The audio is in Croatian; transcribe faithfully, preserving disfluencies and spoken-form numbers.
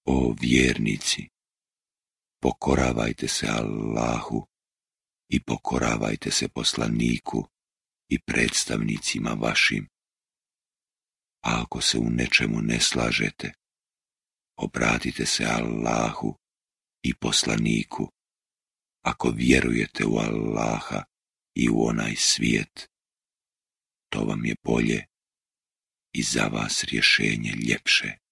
O vjernici, pokoravajte se Allahu i pokoravajte se poslaniku i predstavnicima vašim. A ako se u nečemu ne slažete, obratite se Allahu i poslaniku, ako vjerujete u Allaha i u onaj svijet. To vam je bolje i za vas rješenje ljepše.